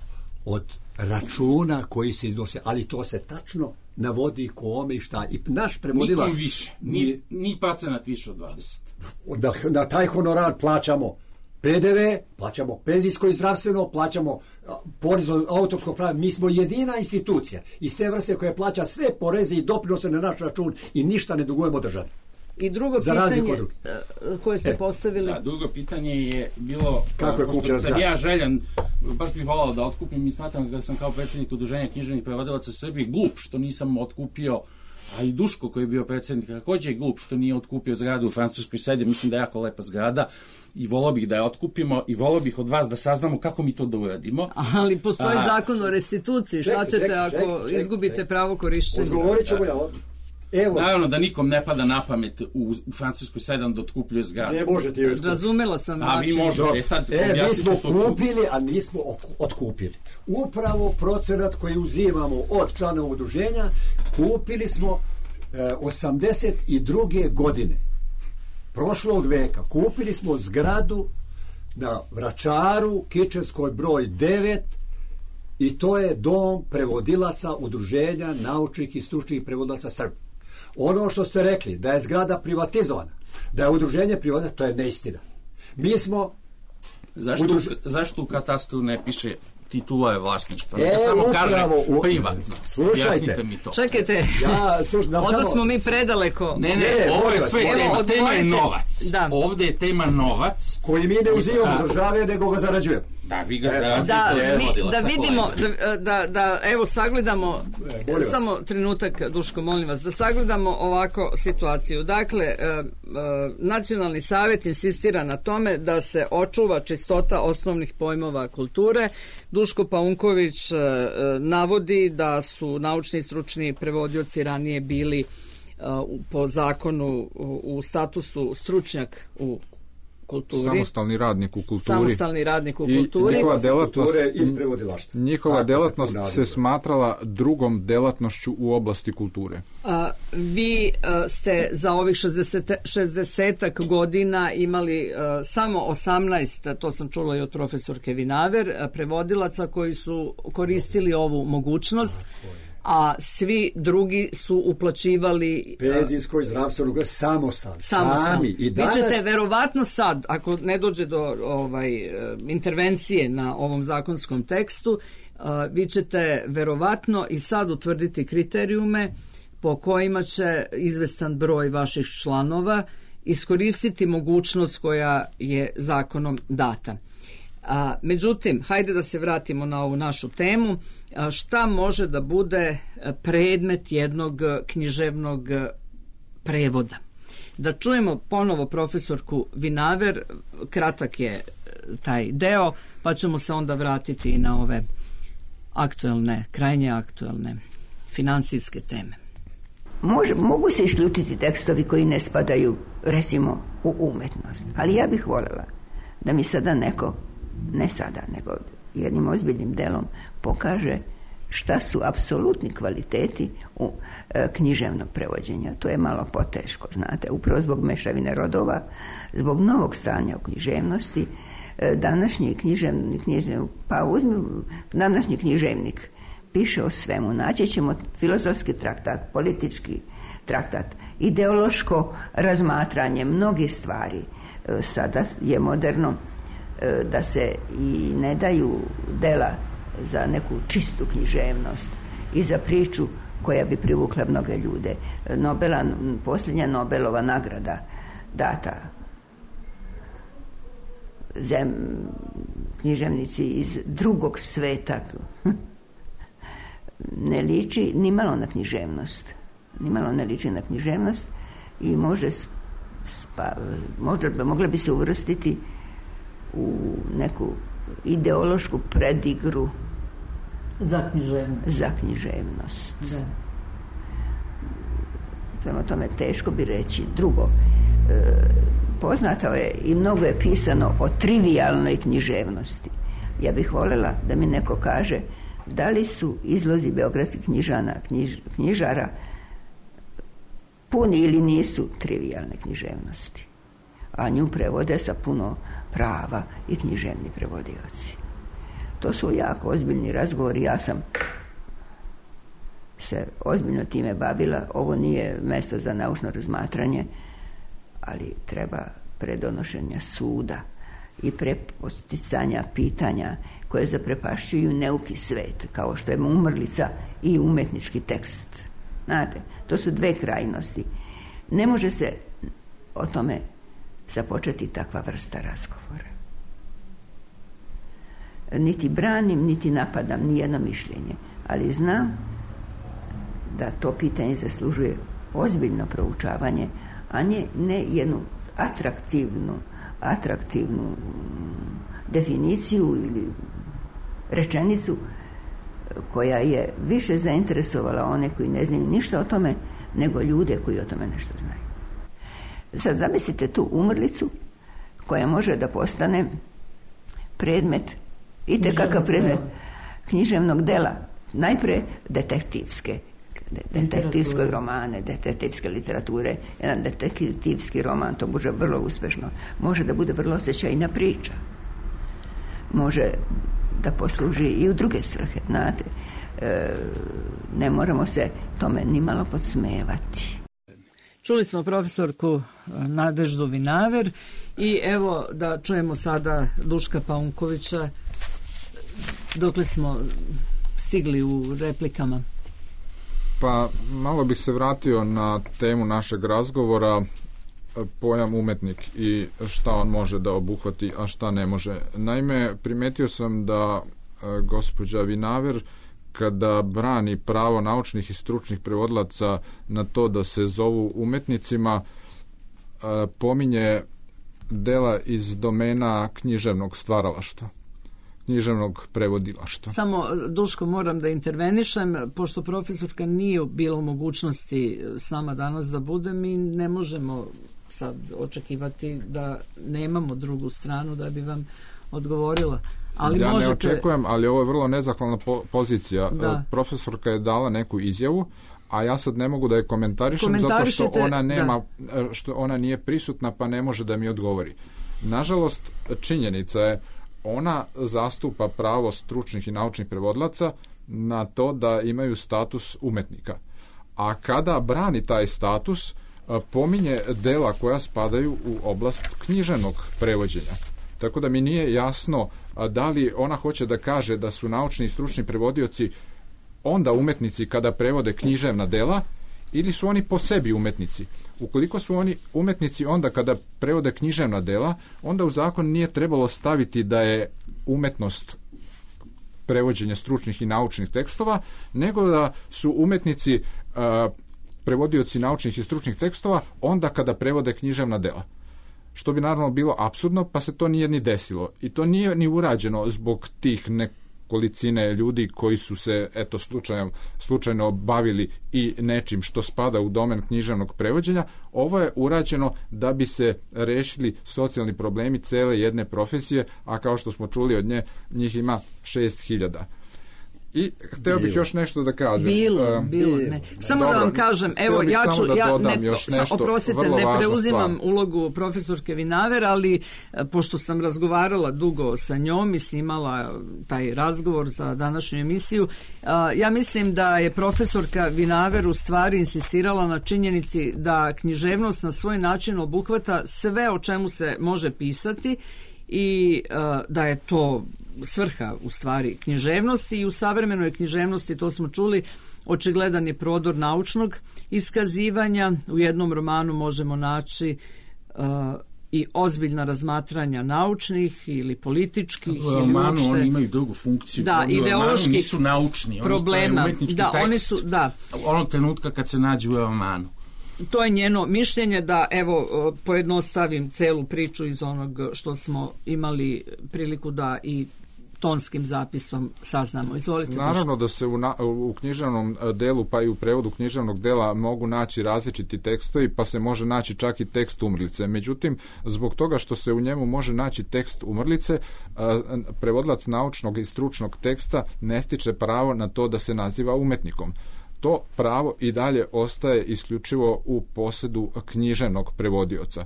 od računa koji se iznose, ali to se tačno navodi kome i šta. I naš prevodilac... Nikom više. Ni, ni procenat više od dvadeset. Na, na taj honorar plaćamo P D V, plaćamo penzijsko i zdravstveno, plaćamo a, porez od autorskog prava. Mi smo jedina institucija iz te vrste koja plaća sve poreze i doprinose na naš račun i ništa ne dugujemo državi. I drugo Za razliku pitanje od drugih. e, koje ste E. postavili. Da, drugo pitanje je bilo... Kako je pošto kupljena sam zgrada? ja željan, baš bih volao da otkupim i smatram da sam kao predsjednik udruženja književnih prevodilaca Srbije glup što nisam otkupio, a i Duško koji je bio predsjednik također je glup što nije otkupio zgradu u Francuskoj sedi. Mislim da je jako lepa zgrada i volao bih da je otkupimo i volao bih od vas da saznamo kako mi to da uradimo. Ali postoji A- zakon o restituciji. Šta Čekaj, ćete čekaj, ako čekaj, čekaj, izgubite čekaj. pravo korišćenja? Odgovorit ćemo ja ovdje. Evo, Naravno da nikom ne pada na pamet u, u Francuskoj sedam da otkupljuje zgradu. ne možete joj otkupiti. Razumela sam. A vi način. možete. Dobro. E, sad E, mi objasnite smo to čudo. kupili, a nismo ok- otkupili. Upravo procenat koji uzimamo od članova udruženja, kupili smo e, osamdeset druge godine prošlog veka. Kupili smo zgradu na Vračaru, Kičevskoj broj devet, i to je dom prevodilaca udruženja naučnih i stručnih prevodilaca Srbije. Ono što ste rekli, da je zgrada privatizovana, da je udruženje privatizovano, to je neistina. Mi smo Zašto, Udruž- zašto u katastru ne piše titula je vlasništva? E, Neka samo kaže upravo, u- privatno. Slušajte. Objasnite mi to. Čekajte, Ja, slušaj, da, onda samo- smo mi predaleko. Ne, ne, Ne, ovo je molim vas, sve molim tema. vas. Tema je Odgovorite. novac. Da. Ovdje je tema novac. koji mi ne uzimamo A. države, nego ga zarađujemo. Da, vi ga E, zaradite Da, od mi, prevodilaca, da vidimo, kolega. da, da, da evo sagledamo, molim vas. samo trenutak, Duško, molim vas, da sagledamo ovako situaciju. Dakle, e, e, Nacionalni savjet insistira na tome da se očuva čistota osnovnih pojmova kulture. Duško Paunković e, e, navodi da su naučni i stručni prevodioci ranije bili e, u- po zakonu u, u statusu stručnjak u kulturi. Samostalni radnik u kulturi. Samostalni radnik u I kulturi. njihova delatnost, Kulture iz prevodilaštva. njihova Tako se delatnost to se naziva. smatrala drugom delatnošću u oblasti kulture. A, vi a, ste za ovih šezdeset godina imali a, samo osamnaest, to sam čula i od profesorke Vinaver, a, prevodilaca koji su koristili ovu mogućnost, a svi drugi su uplaćivali a, Penzijsko i zdravstveno samostalno. samostalno. Sami. I Vi danas, ćete verovatno sad, ako ne dođe do ovaj, e, intervencije na ovom zakonskom tekstu, a, vi ćete verovatno i sad utvrditi kriterijume po kojima će izvestan broj vaših članova iskoristiti mogućnost koja je zakonom data. A, međutim, hajde da se vratimo na ovu našu temu. A, šta može da bude predmet jednog književnog prevoda? Da čujemo ponovo profesorku Vinaver, kratak je taj deo, pa ćemo se onda vratiti i na ove aktuelne, krajnje aktuelne finansijske teme. Može, mogu se isključiti tekstovi koji ne spadaju, recimo, u umetnost. Ali ja bih voljela da mi sada neko, ne sada, nego jednim ozbiljnim delom pokaže šta su apsolutni kvaliteti u e, književnog prevođenja. To je malo poteško, znate, upravo zbog mešavine rodova, zbog novog stanja u književnosti. E, današnji književnik, književnik, pa uzmi, današnji književnik piše o svemu. Naći ćemo filozofski traktat, politički traktat, ideološko razmatranje mnogih stvari. E, sada je moderno e, da se i ne daju dela za neku čistu književnost i za priču koja bi privukla mnoge ljude. Nobela, posljednja Nobelova nagrada data zem, književnici iz drugog sveta ne liči nimalo na književnost. Nimalo ne liči na književnost i može spa, možda, mogla bi se uvrstiti u neku ideološku predigru za književnost. Za književnost. Da. Prema tome teško bi reći. Drugo, e, poznato je i mnogo je pisano o trivijalnoj književnosti. Ja bih voljela da mi neko kaže da li su izlozi beogradskih knjižana, knjiž, knjižara puni ili nisu trivijalne književnosti. A nju prevode sa puno prava i književni prevodioci. To su jako ozbiljni razgovori. Ja sam se ozbiljno time bavila. Ovo nije mjesto za naučno razmatranje, ali treba predonošenja suda i preposticanja pitanja koje zaprepašćuju neuki svet, kao što je umrlica i umetnički tekst. Znate, to su dve krajnosti. Ne može se o tome započeti takva vrsta razgovora. Niti branim, niti napadam nijedno mišljenje, ali znam da to pitanje zaslužuje ozbiljno proučavanje, a ne, ne jednu atraktivnu, atraktivnu definiciju ili rečenicu koja je više zainteresovala one koji ne znaju ništa o tome, nego ljude koji o tome nešto znaju. Sad zamislite tu umrlicu koja može da postane predmet, i tekakav predmet književnog dela, najpre detektivske, detektivske romane, detektivske literature. Jedan detektivski roman, to može vrlo uspešno, može da bude vrlo osjećajna priča, može da posluži i u druge svrhe, znate. E, ne moramo se tome nimalo podsmevati. Čuli smo profesorku Nadeždu Vinaver i evo da čujemo sada Duška Paunkovića. Dokle smo stigli u replikama? Pa malo bih se vratio na temu našeg razgovora, pojam umetnik i šta on može da obuhvati, a šta ne može. Naime, primetio sam da e, gospođa Vinaver, kada brani pravo naučnih i stručnih prevodilaca na to da se zovu umetnicima, e, pominje dela iz domena književnog stvaralaštva, književnog prevodilaštva. Samo, Duško, moram da intervenišem, pošto profesorka nije bila u mogućnosti s nama danas da bude, mi ne možemo sad očekivati da nemamo drugu stranu da bi vam odgovorila. Ali ja možete... ne očekujem, ali ovo je vrlo nezahvalna po- pozicija. Da. Profesorka je dala neku izjavu, a ja sad ne mogu da je komentarišem zato što ona nema, da. što ona nije prisutna, pa ne može da mi odgovori. Nažalost, činjenica je, ona zastupa pravo stručnih i naučnih prevodilaca na to da imaju status umetnika. A kada brani taj status, pominje dela koja spadaju u oblast književnog prevođenja. Tako da mi nije jasno da li ona hoće da kaže da su naučni i stručni prevodioci onda umetnici kada prevode književna dela, ili su oni po sebi umetnici. Ukoliko su oni umetnici onda kada prevode književna dela, onda u zakon nije trebalo staviti da je umetnost prevođenja stručnih i naučnih tekstova, nego da su umetnici uh, prevodioci naučnih i stručnih tekstova onda kada prevode književna dela. Što bi naravno bilo apsurdno, pa se to nije ni desilo. I to nije ni urađeno zbog tih nekolicine ljudi koji su se eto slučajno, slučajno bavili i nečim što spada u domen književnog prevođenja. Ovo je urađeno da bi se rešili socijalni problemi cele jedne profesije, a kao što smo čuli od nje, njih ima šest hiljada. I hteo bih još nešto da kažem. Bilo, bilo. Ne. Samo Dobro, da vam kažem, evo, ja ću, da ja ne, još nešto, oprostite, ne preuzimam stvar. Ulogu profesorke Vinaver, ali pošto sam razgovarala dugo sa njom i snimala taj razgovor za današnju emisiju, ja mislim da je profesorka Vinaver u stvari insistirala na činjenici da književnost na svoj način obuhvata sve o čemu se može pisati i da je to svrha u stvari književnosti i u savremenoj književnosti, to smo čuli, očigledan je prodor naučnog iskazivanja. U jednom romanu možemo naći uh, i ozbiljna razmatranja naučnih ili političkih u ili romanu uopšte... oni imaju drugu funkciju. Da, oni ideološki nisu naučni, problema. Oni umetnički da, tekst oni su, da. onog trenutka kad se nađu u romanu. To je njeno mišljenje da, evo, pojednostavim celu priču iz onog što smo imali priliku da i tonskim zapisom saznamo. Izvolite. Naravno da se u, na, u književnom delu pa i u prevodu književnog dela mogu naći različiti tekstovi, pa se može naći čak i tekst umrlice. Međutim, zbog toga što se u njemu može naći tekst umrlice, prevodilac naučnog i stručnog teksta ne stiče pravo na to da se naziva umetnikom. To pravo i dalje ostaje isključivo u posedu književnog prevodioca.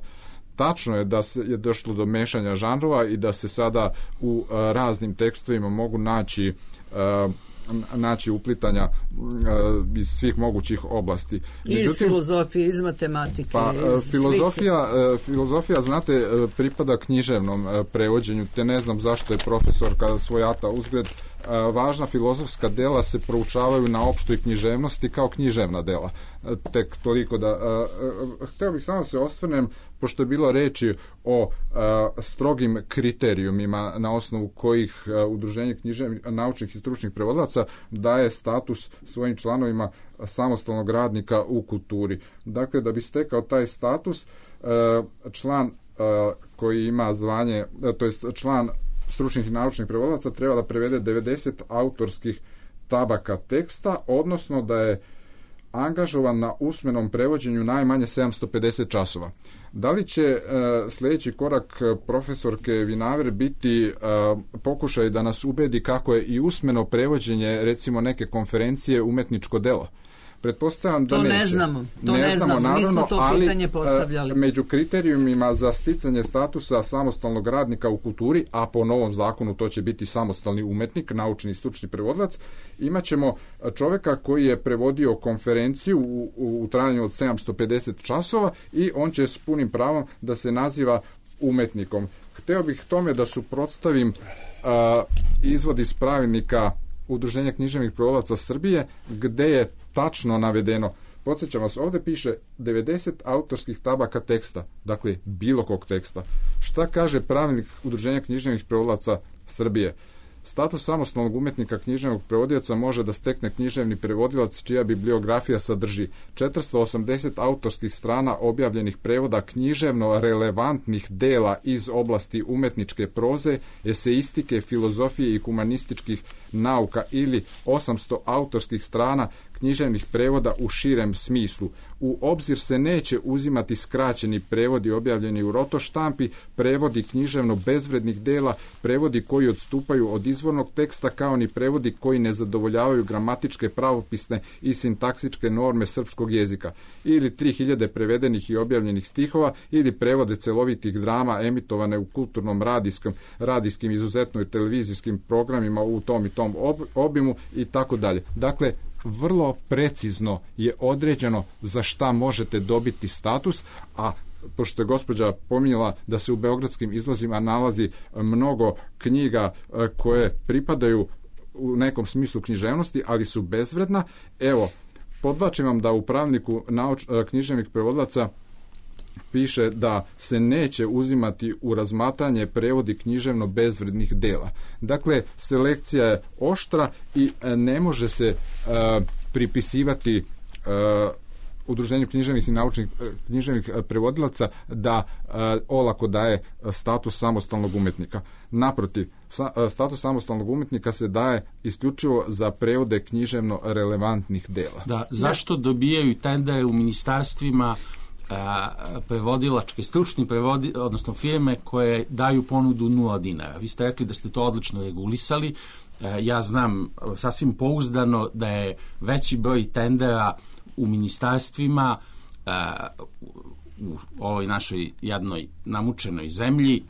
Tačno je da se je došlo do mešanja žanrova i da se sada u uh, raznim tekstovima mogu naći uh, naći uplitanja uh, iz svih mogućih oblasti. Međutim, iz filozofije, iz matematike. Pa, iz filozofija, uh, filozofija, znate, uh, pripada književnom uh, prevođenju, te ne znam zašto je profesor kada svojata uzgred. Uh, važna filozofska dela se proučavaju na opštoj književnosti kao književna dela. Uh, tek toliko da... Uh, uh, hteo bih samo se osvrnem, pošto je bilo reči o uh, strogim kriterijumima na osnovu kojih uh, udruženje književnih, naučnih i stručnih prevodilaca daje status svojim članovima samostalnog radnika u kulturi. Dakle, da bi stekao taj status, uh, član uh, koji ima zvanje, uh, to jest član stručnih i naučnih prevodilaca treba da prevede devedeset autorskih tabaka teksta, odnosno da je angažovan na usmenom prevođenju najmanje sedamsto pedeset časova. Da li će e, sljedeći korak profesorke Vinaver biti e, pokušaj da nas ubedi kako je i usmeno prevođenje, recimo neke konferencije, umetničko delo? Pretpostavljam da to neće. ne znamo, to ne, ne znamo, znamo. naravno, nismo to ali, pitanje postavljali. Među kriterijumima za sticanje statusa samostalnog radnika u kulturi, a po novom zakonu to će biti samostalni umetnik, naučni i stručni prevodilac, imat ćemo čoveka koji je prevodio konferenciju u, u, u trajanju od sedamsto pedeset časova i on će s punim pravom da se naziva umetnikom. Hteo bih tome da suprotstavim uh, izvod iz pravilnika Udruženja književnih prevodilaca Srbije, gde je tačno navedeno, podsjećam vas, ovdje piše devedeset autorskih tabaka teksta, dakle bilo kog teksta. Šta kaže pravilnik Udruženja književnih prevodilaca Srbije? Status samostalnog umetnika književnog prevodioca može da stekne književni prevodilac čija bibliografija sadrži četiristo osamdeset autorskih strana objavljenih prevoda književno relevantnih dela iz oblasti umetničke proze, eseistike, filozofije i humanističkih nauka ili osamsto autorskih strana književnih prevoda u širem smislu. U obzir se neće uzimati skraćeni prevodi objavljeni u roto štampi, prevodi književno bezvrednih dela, prevodi koji odstupaju od izvornog teksta, kao ni prevodi koji ne zadovoljavaju gramatičke, pravopisne i sintaksičke norme srpskog jezika, ili tri hiljade prevedenih i objavljenih stihova, ili prevode celovitih drama emitovane u kulturnom radijskom, radijskim, izuzetno i televizijskim programima u tom i tom ob, obimu i tako dalje. Dakle, vrlo precizno je određeno za šta možete dobiti status, a pošto je gospođa pominjala da se u beogradskim izlozima nalazi mnogo knjiga koje pripadaju u nekom smislu književnosti, ali su bezvredna, evo, podvlačim vam da u pravilniku nauč, književnih prevodilaca piše da se neće uzimati u razmatranje prevodi književno bezvrednih dela. Dakle, selekcija je oštra i ne može se uh, pripisivati uh, Udruženju književnih i naučnih književnih prevodilaca da uh, olako daje status samostalnog umetnika. Naprotiv, sa, status samostalnog umetnika se daje isključivo za prevode književno relevantnih dela. Da, zašto dobijaju tendere u ministarstvima prevodilačke, stručni prevodi, odnosno firme koje daju ponudu nula dinara. Vi ste rekli da ste to odlično regulisali. Ja znam sasvim pouzdano da je veći broj tendera u ministarstvima u ovoj našoj jadnoj namučenoj zemlji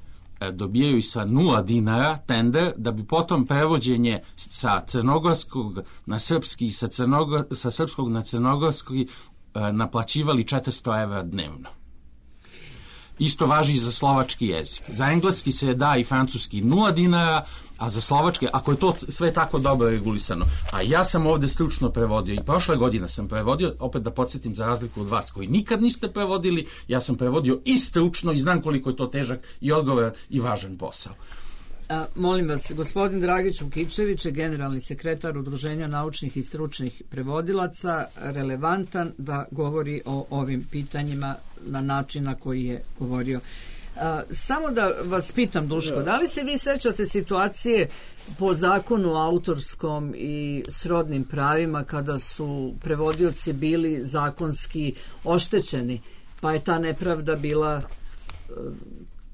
dobijaju i sa nula dinara tender, da bi potom prevođenje sa crnogorskog na srpski i sa, crnogo, sa srpskog na crnogorski naplaćivali četiristo evra dnevno. Isto važi i za slovački jezik. Za engleski se da i francuski nula dinara, a za slovačke, ako je to sve tako dobro regulisano, a ja sam ovde stručno prevodio i prošle godine sam prevodio, opet da podsjetim za razliku od vas koji nikad niste prevodili, ja sam prevodio i stručno i znam koliko je to težak i odgovoran i važan posao. A, molim vas, gospodin Dragić Vukičević je generalni sekretar Udruženja naučnih i stručnih prevodilaca, relevantan da govori o ovim pitanjima na način na koji je govorio. A, samo da vas pitam, Duško, da li se vi sećate situacije po zakonu autorskom i srodnim pravima kada su prevodioci bili zakonski oštećeni, pa je ta nepravda bila,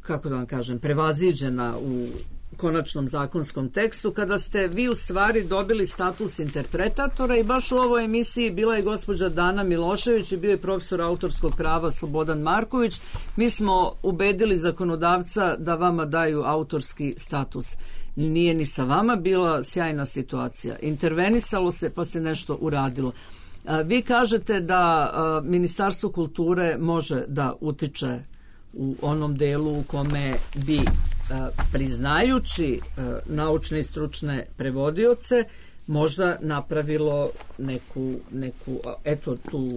kako da vam kažem, prevaziđena u konačnom zakonskom tekstu, kada ste vi u stvari dobili status interpretatora i baš u ovoj emisiji bila je gospođa Dana Milošević i bio je profesor autorskog prava Slobodan Marković. Mi smo ubedili zakonodavca da vama daju autorski status. Nije ni sa vama bila sjajna situacija. Intervenisalo se pa se nešto uradilo. Vi kažete da Ministarstvo kulture može da utiče u onom delu u kome bi priznajući naučne i stručne prevodioce možda napravilo neku, neku eto tu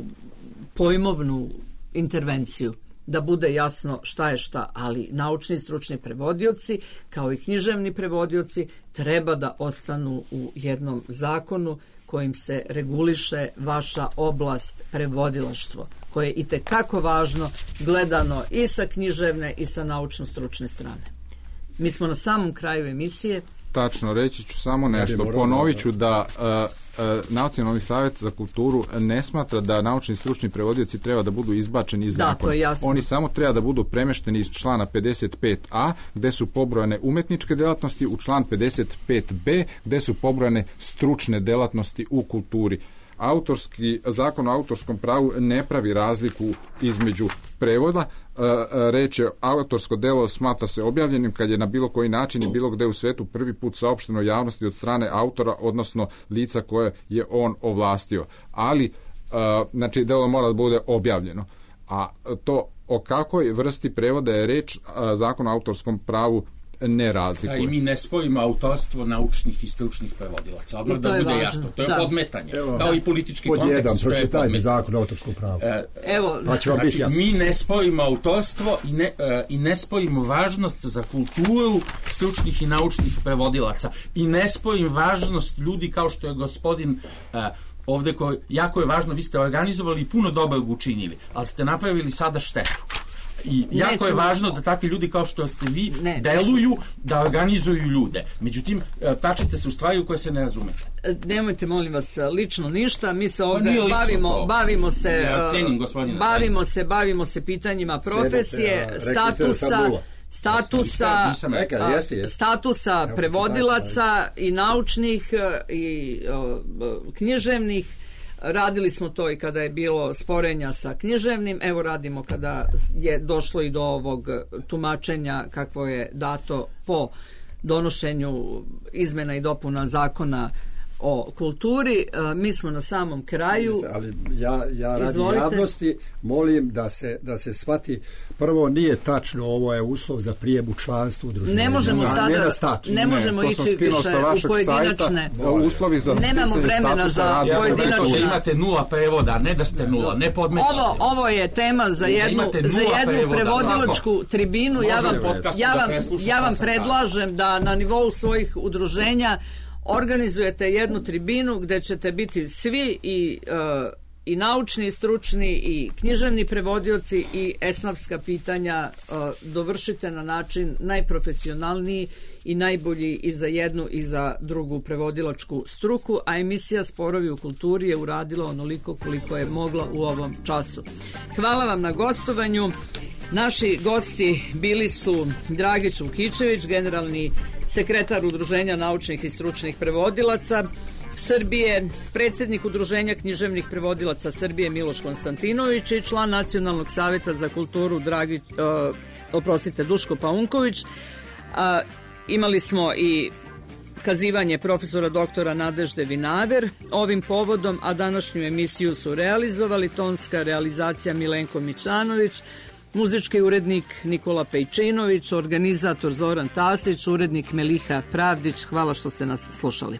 pojmovnu intervenciju, da bude jasno šta je šta, ali naučni i stručni prevodioci kao i književni prevodioci treba da ostanu u jednom zakonu kojim se reguliše vaša oblast prevodilaštvo, koje je itekako važno gledano i sa književne i sa naučno-stručne strane. Mi smo na samom kraju emisije. Tačno, reći ću samo nešto. Ponovit ću da uh, uh, Nacionalni savjet za kulturu ne smatra da naučni i stručni prevodioci treba da budu izbačeni iz zakona. Da, to je jasno. Oni samo treba da budu premešteni iz člana pedeset pet a, gde su pobrojane umetničke delatnosti, u član pedeset pet be, gde su pobrojane stručne delatnosti u kulturi. Autorski, zakon o autorskom pravu ne pravi razliku između prevoda. Reč je, autorsko delo smatra se objavljenim kad je na bilo koji način i bilo gde u svetu prvi put saopšteno javnosti od strane autora, odnosno lica koje je on ovlastio. Ali, znači, delo mora da bude objavljeno. A to o kakvoj vrsti prevoda je reč, zakon o autorskom pravu ne razlikuje. Da, i mi ne spojimo autorstvo naučnih i stručnih prevodilaca. Odmah da bude važno. Jasno. To je da. Podmetanje. Evo, kao i politički pod kontekst. Pod jedan, pročitajte zakon o autorskom pravu. E, Evo, pa će vam znači, biti jasno. Mi ne spojimo autorstvo i ne, e, i ne spojimo važnost za kulturu stručnih i naučnih prevodilaca. I ne spojimo važnost ljudi kao što je gospodin e, ovde, koji, jako je važno, vi ste organizovali i puno dobrog učinili, ali ste napravili sada štetu. I jako Neću. je važno da takvi ljudi kao što ste vi ne, deluju, da organizuju ljude. Međutim, tačite se u stvari u koje se ne razumete. Nemojte, molim vas, lično ništa. Mi se ovdje bavimo, bavimo se ja cenim, bavimo se, bavimo se pitanjima profesije, Sedete, statusa, statusa, Rekali, jeste, jeste. statusa prevodilaca i naučnih i uh, književnih. Radili smo to i kada je bilo sporenja sa književnim, evo radimo kada je došlo i do ovog tumačenja kakvo je dato po donošenju izmena i dopuna zakona o kulturi. Mi smo na samom kraju. Ali ja, ja radi javnosti molim da se, da se shvati, prvo nije tačno, ovo je uslov za prijem u članstvo udruženja. Ne možemo ne, sada, ne, ne možemo ne, ići više u pojedinačne. Sajta, uslovi za nemamo vremena za ja pojedinačne. Da imate nula prevoda, ne da ste nula, ne podmećete. Ovo, ovo je tema za jednu, za jednu prevodilačku tribinu. Ja vam, ja vam, ja vam predlažem da na nivou svojih udruženja organizujete jednu tribinu gde ćete biti svi i, uh, i naučni, i stručni, i književni prevodioci i esnafska pitanja uh, dovršite na način najprofesionalniji i najbolji i za jednu i za drugu prevodilačku struku, a emisija Sporovi u kulturi je uradila onoliko koliko je mogla u ovom času. Hvala vam na gostovanju. Naši gosti bili su Dragić Vukičević, generalni sekretar Udruženja naučnih i stručnih prevodilaca Srbije, predsjednik Udruženja književnih prevodilaca Srbije Miloš Konstantinović i član Nacionalnog savjeta za kulturu Dragić, uh, oprostite, Duško Paunković. Uh, imali smo i kazivanje profesora doktora Nadežde Vinaver ovim povodom, a današnju emisiju su realizovali tonska realizacija Milenko Mićanović, Muzički urednik Nikola Pejčinović, organizator Zoran Tasić, urednik Meliha Pravdić. Hvala što ste nas slušali.